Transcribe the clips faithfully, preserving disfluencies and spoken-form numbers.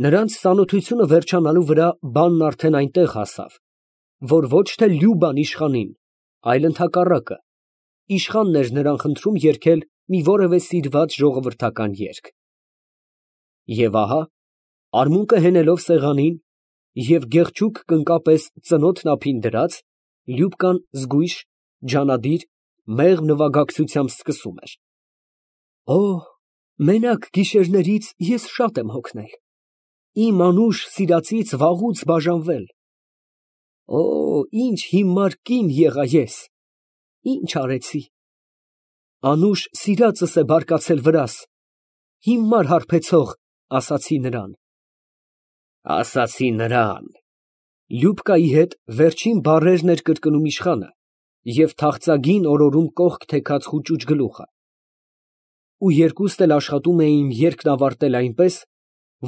Նրանց ծանոթությունը վերջանալու վրա բանն արդեն այնտեղ հասավ, որ ոչ թե Լյուբան իշխանին, այլ ընդհակառակը, իշխանն էր նրան խնդրում երգել մի որևէ սիրված ժողովրդական երգ։ Եվ ահա, արմունկը հենելով սեղանին և գեղչուկ կնկա պես ծնոտն ափին դրած, Լյուբկան զգույշ, ջանադիր, մեղմ նվագակցությամբ սկսում էր. Օ, մենակ գիշերներից ես շատ եմ հոգնել, իմ անուշ սիրածից վաղուց բաժանվել, օ, ինչ հիմար կին եղա ես, ինչ արեցի, անուշ սիրածս է բարկացել վրաս, հիմար հարբեցող, ասացի նրան, ասացի նրան, Լյուբկայի հետ վերջին բառերն էր կրկնում իշխանը և թախծագին օրորում կողք թեքած խուճուճ գլուխը, ու երկուստ էլ աշխատում էին երգն ավարտել այնպես,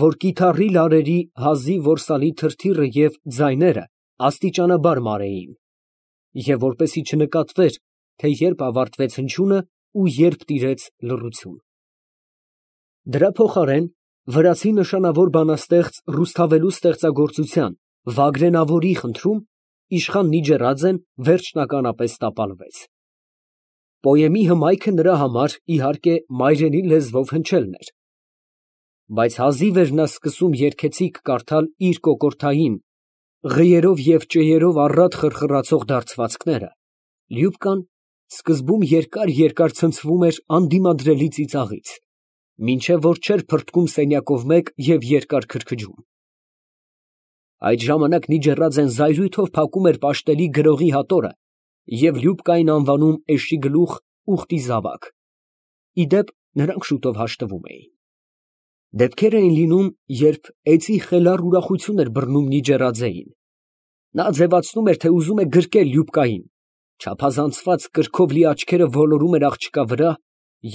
որ կիթառի լարերի հազիվ որսալի թրթիռը և ձայները աստիճանաբար մարեին, և որպեսզի չնկատվեր, թե երբ ավարտվեց հնչյունը ու երբ տիրեց լռություն։ Դրա փոխարեն վրացի նշանավոր բանաստեղծ Ռուսթավելու ստեղծագործության Վագրենավորի խնդրում իշխան Նիջեռաձեն վերջնականապես տապալվեց։ Պոեմի հմայքը նրա համար, իհարկե, մայրենի լեզվով հնչելն էր, բայց հազիվ էր նա սկսում երգեցիկ կարդալ իր կոկորդային, ղիերով և ճեյերով առատ խրխրացող դարձվածքները, Լյուբկան սկզբում երկար֊երկար ցնցվում էր անդիմադրելի ծիծաղից, մինչև որ չէր փրթկում սենյակով մեկ և երկար քրքջում։ Այդ ժամանակ Նիջեռաձեն զայրույթով փակում էր պաշտելի գրողի հատորը և Լյուբկային անվանում Էշիգլուխ ուխտի զավակ, ի դեպ, նրանք շուտով հաշտվում էին։ Դեպքեր էին լինում, երբ էծի խելառ ուրախություն էր բռնում Նիջեռաձեին, նա ձևացնում էր, թե ուզում է գրկել Լյուբկային, չափազանցված կրքով լի աչքերը ոլորում էր աղջկա վրա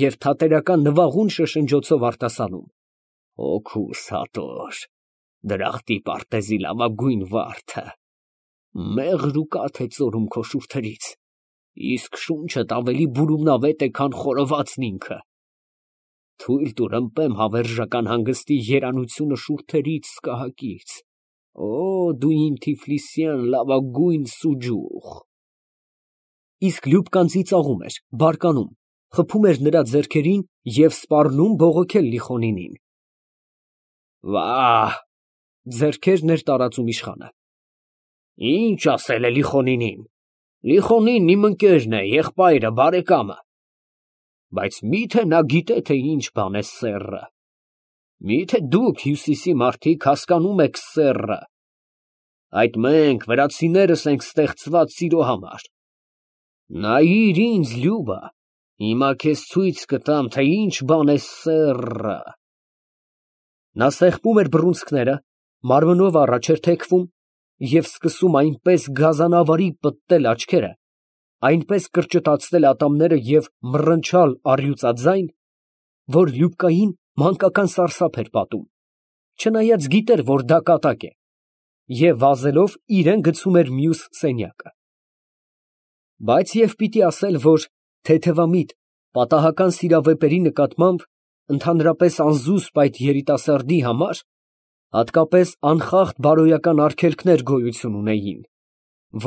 և թատերական նվաղուն շշնջոցով արտասանում. «Հոգուս հատոր, դրախտի պարտեզի լավագույն վարդը, մեղր ու կաթ է ծորում քո շուրթերից, իսկ շունչդ ավելի բուրումնավետ է, քան խորովածն ինքը, թույլ տուր ըմպեմ հավերժական հանգստի երանությունը շուրթերիդ սկահակից, օ, դու իմ թիֆլիսյան լավագույն սուջուխ»։ Իսկ Լյուբկան ծիծաղում էր, բարկանում, խփում էր նրա ձեռքերին և սպառնում բողոքել Լիխոնինին։ Վա՜հ, ձեռքերն էր տարածում իշխանը, ինչ ասել է Լիխոնինին, Լիխոնինն իմ ընկերն է, եղբայրը, բարեկամը, բայց մի՞թե նա գիտե, թե ինչ բան է սեռը, մի՞թե դուք, հյուսիսի մարդիկ, հասկանում եք սեռը, այդ մենք, վրացիներս, ենք ստեղծված սիրո համար, նայիր ինձ, Լյուբա, հիմա քեզ ցույց կտամ, թե ինչ բան է սեռը։ Նա սեղմում էր բռունցքները, մարմնով առաջ էր թեքվում և սկսում այնպես գազանավարի պտտել աչքերը, այնպես կրճտացնել ատամները և մռնչալ առյուծաձայն, որ Լյուբկային մանկական սարսափ էր պատում, չնայած գիտեր, որ դա կատակ է, և վազելով իրան գցում էր մյուս սենյակը։ Բայց և պիտի ասել, որ թեթևամիտ, պատահական սիրավեպերի նկատմամբ, ընդհանրապես անզուսպ այդ երիտասարդի համար հատկապես անխախտ բարոյական արգելքներ գոյություն ունեին,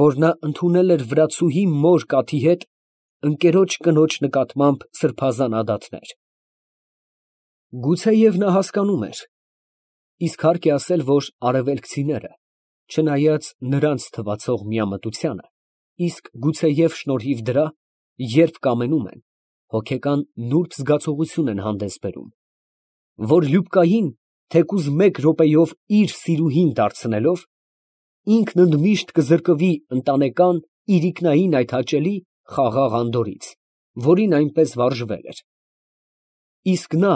որ նա ընդունել էր վրացուհի մոր կաթի հետ ընկերոջ կնոջ նկատմամբ սրբազան ադատներ։ Գուցեև նա հասկանում էր, իսկ հարկ է ասել, որ արևելքցիները, չնայած նրանց թվացող միամտությանը, իսկ գուցեև շնորհիվ դրա, երբ կամենում են, հոգեկան նուրբ զգացողություն են հանդես բերում, որ Լյուբկային, թեկուզ մեկ րոպեով իր սիրուհին դարձնելով, ինքն ընդմիշտ կզրկվի ընտանեկան, իրիկնային այդ հաճելի, խաղաղ անդորրից, որին այնպես վարժվել էր։ Իսկ նա,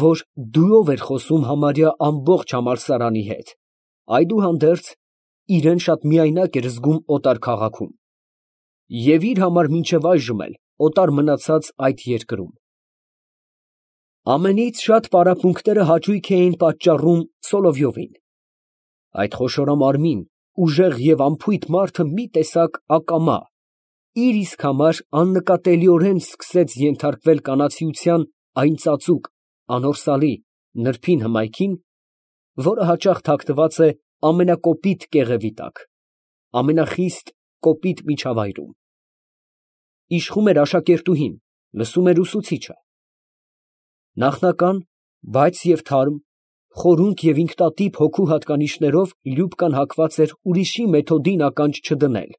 որ դուով էր խոսում համարյա ամբողջ համալսարանի հետ, այդուհանդերձ, իրան շատ միայնակ էր զգում օտար քաղաքում և իր համար մինչև այժմ էլ օտար մնացած այդ երկրում։ Ամենից շատ պարապմունքները հաճույք էին պատճառում Սոլովյովին։ Այդ խոշորամարմին, ուժեղ և անփույթ մարդը մի տեսակ ակամա, իր իսկ համար աննկատելիորեն սկսեց ենթարկվել կանացիության այն ծածուկ, անորսալի, նրբին հմայքին, որը հաճախ թաքնված է ամենակոպիտ կեղևի տակ, ամենախիստ կոպիտ միջավայրում։ Իշխում էր աշակերտուհին, լսում էր ուսուցիչը։ Նախնական, բայց և թարմ, խորունկ և ինքնատիպ հոգու հատկանիշներով Լյուբկան հակված էր ուրիշի մեթոդին ականջ չդնել,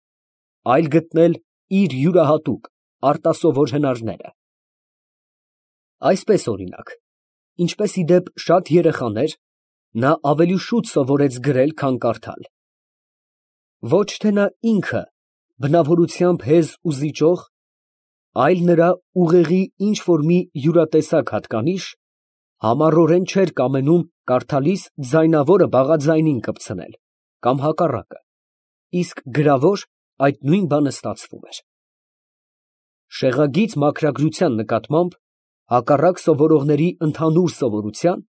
այլ գտնել իր յուրահատուկ, արտասովոր հնարները։ Այսպես, օրինակ, ինչպես ի դեպ շատ երեխաներ, նա ավելի շուտ սովորեց գրել, քան կարդալ։ Ոչ թե նա ինքը բնավորությամբ հեզ ու զիջող, այլ նրա ուղեղի ինչ֊որ մի յուրատեսակ հատկանիշ համառորեն չէր կամենում կարդալիս ձայնավորը բաղաձայնին կպցնել, կամ հակառակը, իսկ գրավոր այդ նույն բանը ստացվում էր։ Շեղագիծ մաքրագրության նկատմամբ, հակառակ սովորողների ընդհանուր սովորության,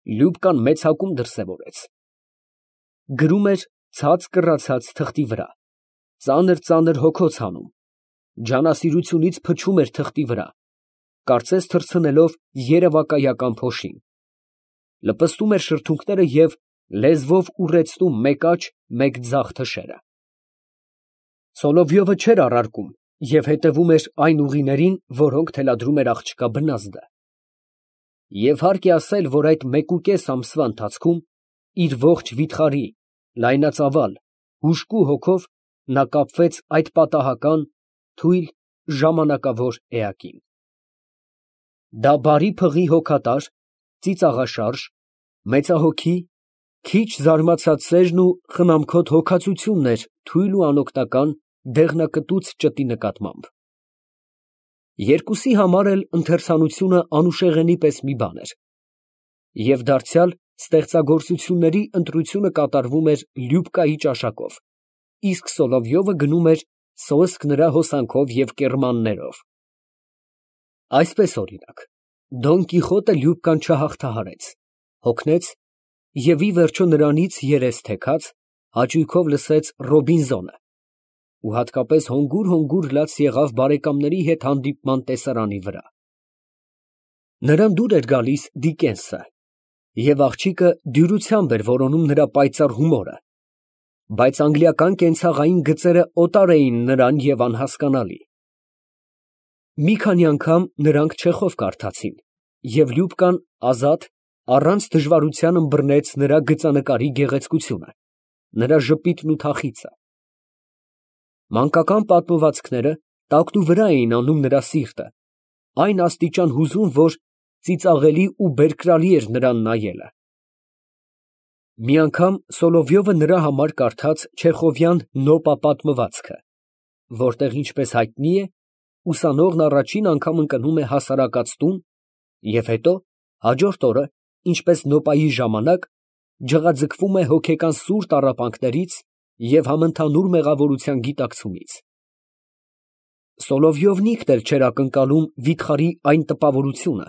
Լյուբկան մեծակում դրսևորեց։ Գրում էր ցած կռացած թղթի վրա, ծանր֊ծանր հոգոց հանում, ջանասիրությունից փչում էր թղթի վրա, կարծես թռցնելով երևակայական փոշին, լպստում էր շրթունքները և լեզվով ուռեցնում մեկ աջ, մեկ ձախ թշերը։ Սոլովյովը չէր առարկում և հետևում էր այն ուղիներին, որոնք թելադրում էր աղջկա բնազդը։ Եվ հարկ է ասել, որ այդ մեկուկես ամսվա ընթացքում իր ողջ վիթխարի, լայնածավալ, հուժկու հոգով նա կապվեց այդ պատահական, թույլ, ժամանակավոր էակին։ Դա բարի փղի հոգատար, ծիծաղաշարժ, մեծահոգի, քիչ զարմացած սերն ու խնամքոտ հոգածությունն էր թույլ ու անօգնական դեղնակտուց ճտի նկատմամբ։ Երկուսի համար էլ ընթերցանությունը անուշեղենի պես մի բան էր, և դարձյալ ստեղծագործությունների ընտրությունը կատարվում էր Լյուբկայի ճաշակով, իսկ Սոլովյովը գնում էր սոսկ նրա հոսանքով և կեռմաններով։ Այսպես, օրինակ, Դոն Կիխոտը Լյուբկան չհաղթահարեց, հոգնեց և ի վերջո նրանից երես թեքած, հաճույքով լսեց Ռոբինզոնը ու հատկապես հոգուր֊հոգուր լաց եղավ բարեկամների հետ հանդիպման տեսարանի վրա։ Նրան դուր էր գալիս Դիկենսը, և աղջիկը դյուրությամբ էր որոնում նրա պայծառ հումորը, բայց անգլիական կենցաղային գծերը օտար էին նրան և անհասկանալի։ Մի քանի անգամ նրանք Չեխով կարդացին, և Լյուբկան ազատ, առանց դժվարության ըմբռնեց նրա գծանկարի գեղեցկությունը, նրա ժպիտն ու թախիծը։ Մանկական պատմվածքները տակնուվրա էին անում նրա սիրտը, այն աստիճան հուզում, որ ծիծաղելի ու բերկրալի էր նրան նայելը։ Մի անգամ Սոլովյովը նրա համար կարդաց չեխովյան Նոպա պատմվածքը, որտեղ, ինչպես հայտնի է, ուսանողն առաջին անգամ ընկնում է հասարակած տուն և հետո, հաջորդ օրը, ինչպես Նոպայի ժամանակ, ջղաձգվում է հոգեկան սուր տառապանքներից և համընդհանուր մեղավորության գիտակցումից։ Սոլովյովն ինքն էլ չէր ակնկալում վիթխարի այն տպավորությունը,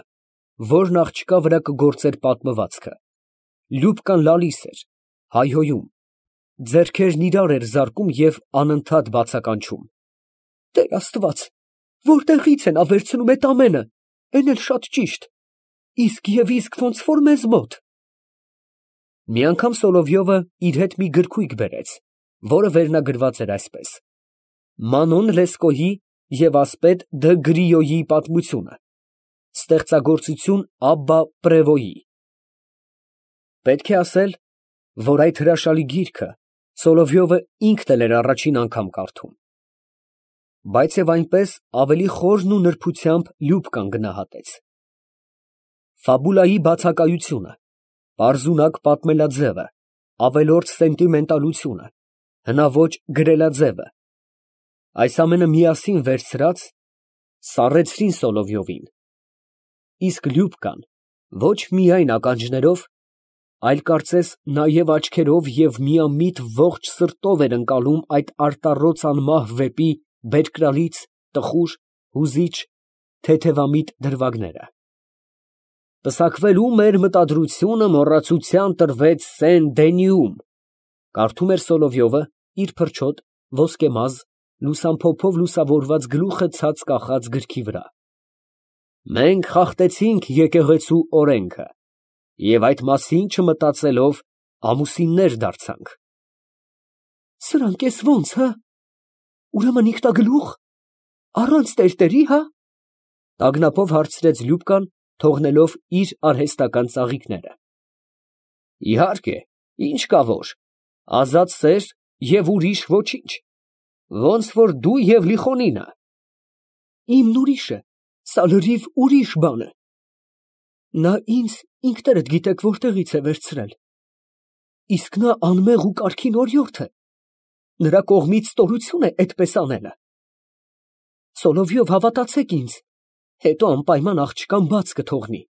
որն աղջկա վրա կգործեր պատմվածքը։ Լյուբկան լալիս էր, հայհոյում, ձեռքերն իրար էր զարկում և անընդհատ բացականչում. «Տեր Աստված, որտեղի՞ց է նա վերցնում էդ ամենը, էն էլ շատ ճիշտ, իսկ և իսկ ոնց որ մեզ մոտ»։ Մի անգամ Սոլովյովը իր հետ մի գրքույկ բերեց, որը վերնագրված էր այսպես. «Մանոն Լեսկոյի և ասպետ Դ. Գրիոյի պատմությունը. ստեղծագործություն Աբբա Պրևոյի»։ Պետք է ասել, որ այդ հրաշալի գիրքը Սոլովյովը ինքն էլ էր առաջին անգամ կարդում։ Բայց և այնպես ավելի խորն ու նրբությամբ Լյուբկան գնահատեց։ Ֆաբուլայի բացակայությունը, պարզունակ պատմելաձևը, ավելորդ սենտիմենտալությունը, հնաոճ գրելաձևը, այս ամենը միասին վերցրած, սառեցրին Սոլովյովին, իսկ Լյուբկան ոչ միայն ականջներով, այլ կարծես նաև աչքերով և միամիտ ողջ սրտով էր ընկալում այդ արտառոց անմահ վեպի բերկրալից, տխուր, հուզիչ, թեթևամիտ դրվագները։ «Պսակվելու մեր մտադրությունը մոռացության տրվեց Սեն Դենիում», կարդում էր Սոլովյովը իր փրչոտ, ոսկեմազ, լուսամփոփով լուսավորված գլուխը ցած կախած գրքի վրա։ «Մենք խախտեցինք եկեղեցու օրենքը Եվ այդ մասին չմտածելով ամուսիններ դարձանք։ Սրանք էս ո՞նց, հա։ Ուրեմն ինքնագլուխ, առանց տերտերի, հա։ Տագնապով հարցրեց Լյուբկան, թողնելով իր արհեստական ծաղիկները։ Իհարկե, ինչ կա որ, ազատ սեր և ուրիշ ոչինչ, ոնց որ դու և Լիխոնինը։ Իմն ուրիշ է, սա լրիվ ուրիշ բան է։ Նա ինձ ինքներդ գիտեք որտեղից է վերցրել։ Իսկ նա անմեղ ու կարգին օրիորդ է, նրա կողմից ստորություն է այդպես անելը։ Սոլովյով, հավատացեք ինձ, հետո անպայման աղջկան բաց կթողնի։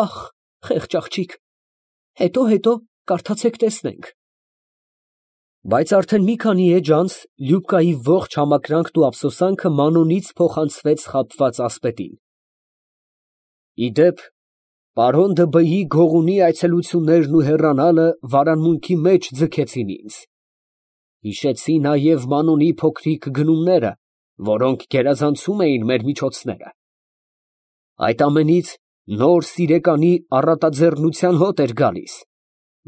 Ախ, խեղճ աղջիկ, հետո-հետո կարդացեք տեսնենք։ Բայց արդեն մի քանի էջ անց Լյուբկայի ողջ համակրանքն ու ափսոսանքը Մանոնից փոխանցվեց խաբված ասպետին։ Իդեպ, պարոն Դըբըի գողունի այցելություններն ու հեռանալը վարանմունքի մեջ ձգեցին ինձ։ Հիշեցի նաև Մանոնի փոքրիկ գնումները, որոնք գերազանցում էին մեր միջոցները։ Այդ ամենից նոր սիրեկանի առատաձեռնության հոտ էր գալիս,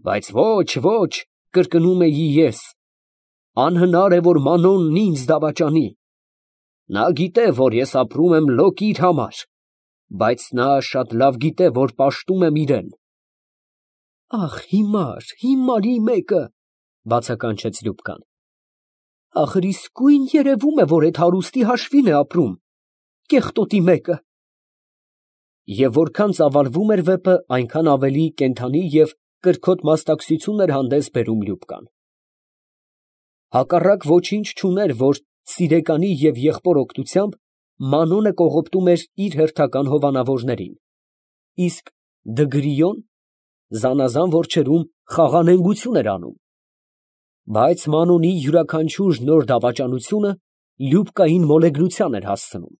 բայց ոչ, ոչ, կրկնում էի ես, անհնար է, որ Մանոնն ինձ դավաճանի։ Նա գիտե, որ ես ապրում եմ լոկ իր համար, բայց նա շատ լավ գիտե, որ պաշտում եմ իրան։ Ախ, հիմար, հիմարի մեկը, բացականչեց Լյուբկան։ Ախր իսկույն երևում է, որ այդ հարուստի հաշվին է ապրում, կեղտոտի մեկը։ Եվ որքան ծավալվում էր վեպը, այնքան ավելի կենդանի և կրքոտ մասնակցություն էր հանդես բերում Լյուբկան։ Հակառակ ոչինչ չուներ, որ սիրեկանի և եղբոր օգնությամբ Մանոնը կողոպտում էր իր հերթական հովանավորներին, իսկ Դգրիոն զանազան որջերում խաղանենգություն էր անում։ Բայց Մանոնի յուրաքանչյուր նոր դավաճանությունը Լյուբկային մոլեգնության էր հասցնում,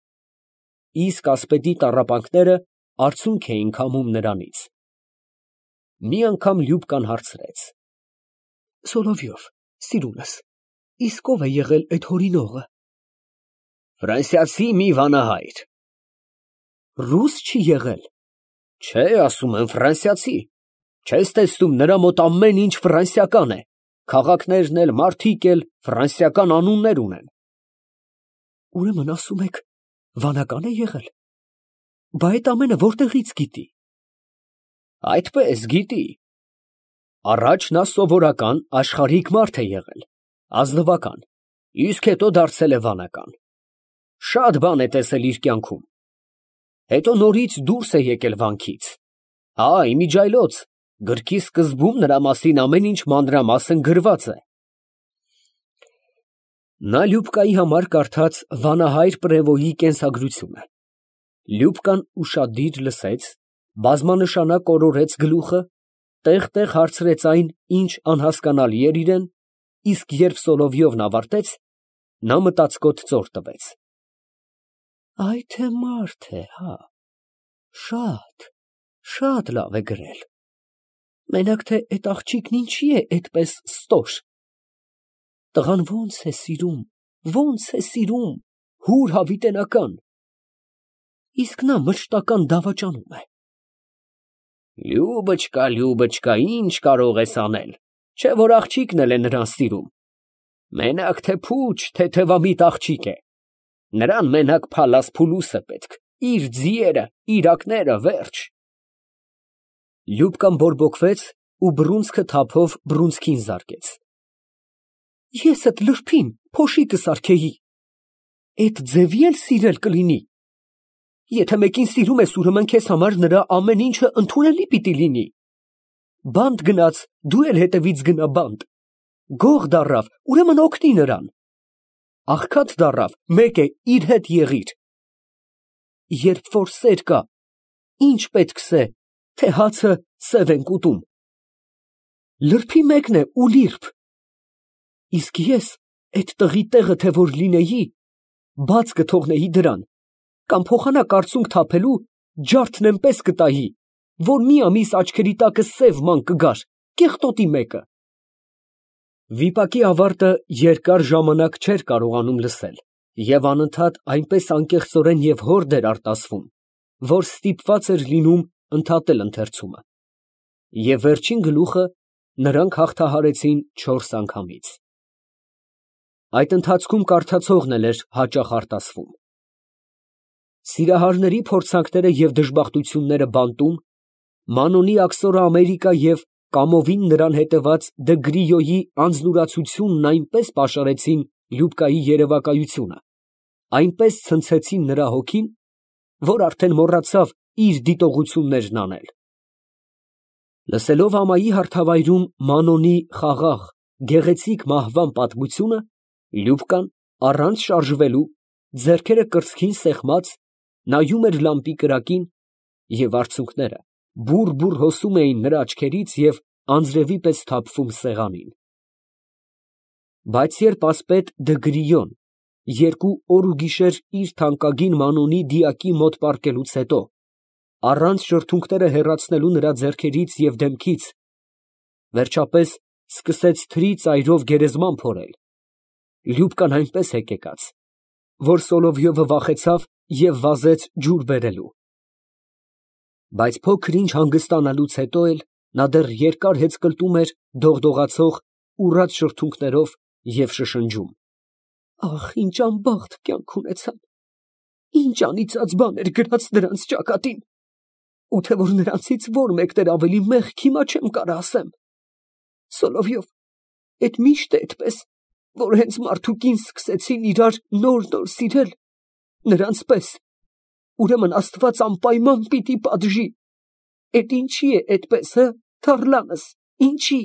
իսկ ասպետի տառապանքները արցունք էին քամում նրանից։ Մի անգամ Լյուբկան հարցրեց. Սոլովյով, սիրունս, իսկ ով է եղել այդ հորինողը։ Ֆրանսիացի մի վանահայր։ Ռուս չի եղել։ Չէ, ասում եմ ֆրանսիացի։ Չես տեսնում, նրա մոտ ամեն ինչ ֆրանսիական է, քաղաքներն էլ, մարդիկ էլ ֆրանսիական անուններ ունեն։ Ուրեմն ասում եք, վանական է եղել։ Բա այդ ամենը որտեղից գիտի։ Այդպես գիտի։ Առաջ նա սովորական աշխարհիկ մարդ է եղել, ազնվական, իսկ հետո դարձել է վանական։ Շատ բան է տեսել իր կյանքում։ Հետո նորից դուրս է եկել վանքից։ Հա, իմիջիայլոց, գրքի սկզբում նրա մասին ամեն ինչ մանրամասն գրված է։ Նա Լյուբկայի համար կարդաց վանահայր Պրևոյի կենսագրությունը։ Լյուբկան ուշադիր լսեց, բազմանշանակ օրորեց գլուխը, տեղ֊տեղ հարցրեց այն, ինչ անհասկանալի էր իրան, իսկ երբ Սոլովյովն ավարտեց, նա մտածկոտ ծոր տվեց։ Այ թե մարդ է, հա, շատ, շատ լավ է գրել։ Մենակ թե այդ աղջիկն ինչի է այդպես ստոր։ Տղան ո՞նց է սիրում, ո՞նց է սիրում, հուր հավիտենական։ Իսկ նա մշտական դավաճանում է։ Լյուբочка, Լյուբочка, ինչ կարող ես անել, չէ որ աղջիկն էլ է նրան սիրում։ Մենակ թե փուչ, թեթևամիտ աղջիկ է։ Նրան մենակ փալաս փուլուս է պետք, իր ձիերը, իրակները, վերջ։ Լյուբկան բորբոքվեց ու բռունցքը թափով բռունցքին զարկեց։ Ես այդ լրբին փոշի կսարքեի։ Այդ ձևի էլ սիրել կլինի։ Եթե մեկին սիրում ես, ուրեմն քեզ համար նրա ամեն ինչը ընդունելի պիտի լինի։ Բանտ գնաց, դու էլ հետևից գնա բանտ։ Գող դառավ, ուրեմն օգնի նրան։ Աղքատ դառավ, մեկ է, իր հետ եղիր։ Երբ որ սեր կա, ինչ պետքս է, թե հացը սև ենք ուտում։ Լրբի մեկն է ու լիրբ։ Իսկ ես այդ տղի տեղը թե որ լինեի, բաց կթողնեի դրան, կամ փոխանակ արցունք թափելու ջարդն էնպես կտայի, որ մի ամիս աչքերի տակը սև ման կգար, կեղտոտի մեկը։ Վիպակի ավարտը երկար ժամանակ չէր կարողանում լսել և անընդհատ այնպես անկեղծորեն և հորդ էր արտասվում, որ ստիպված էր լինում ընդհատել ընթերցումը։ Եվ վերջին գլուխը նրանք հաղթահարեցին չորս անգամից։ Այդ ընթացքում կարդացողն էլ էր հաճախ արտասվում։ Սիրահարների փորձանքները և դժբախտությունները բանտում, Մանոնի աքսորը Ամերիկա և կամովին նրան հետևած Դը Գրիոյի անձնուրացությունն այնպես պաշարեցին Լյուբկայի երևակայությունը, այնպես ցնցեցին նրա հոգին, որ արդեն մոռացավ իր դիտողություններն անել։ Լսելով ամայի հարթավայրում Մանոնի խաղաղ, գեղեցիկ մահվան պատմությունը, Լյուբկան, առանց շարժվելու, ձեռքերը կրծքին սեղմած, նայում էր լամպի կրակին, և արցունքները բուռ֊բուռ հոսում էին նրա աչքերից և անձրևի պես թափվում սեղանին։ Բայց երբ ասպետ Դը Գրիոն երկու օր ու գիշեր իր թանկագին Մանոնի դիակի մոտ պառկելուց հետո, առանց շրթունքները հեռացնելու նրա ձեռքերից և դեմքից, վերջապես սկսեց թրի ծայրով գերեզման փորել, Լյուբկան այնպես հեկեկաց, որ Սոլովյովը վախեցավ և վազեց ջուր բերելու։ Բայց փոքր ինչ հանգստանալուց հետո էլ նա դեռ երկար հեծկլտում էր դողդողացող ուռած շրթունքներով և շշնջում. «Ախ, ինչ անբախտ կյանք ունեցան, ինչ անիծած բան էր գրած նրանց ճակատին, ու թե որ նրանցից որ մեկն էր ավելի մեղք, հիմա չեմ կարող ասեմ։ Սոլովյով, էդ միշտ է էդպես, որ հենց մարդ ու կին սկսեցին իրար նոր֊նոր սիրել, նրանց պես, ուրեմն Աստված անպայման պիտի պատժի։ Էդ ինչի է էդպես, հը, թառլանս, ինչի»։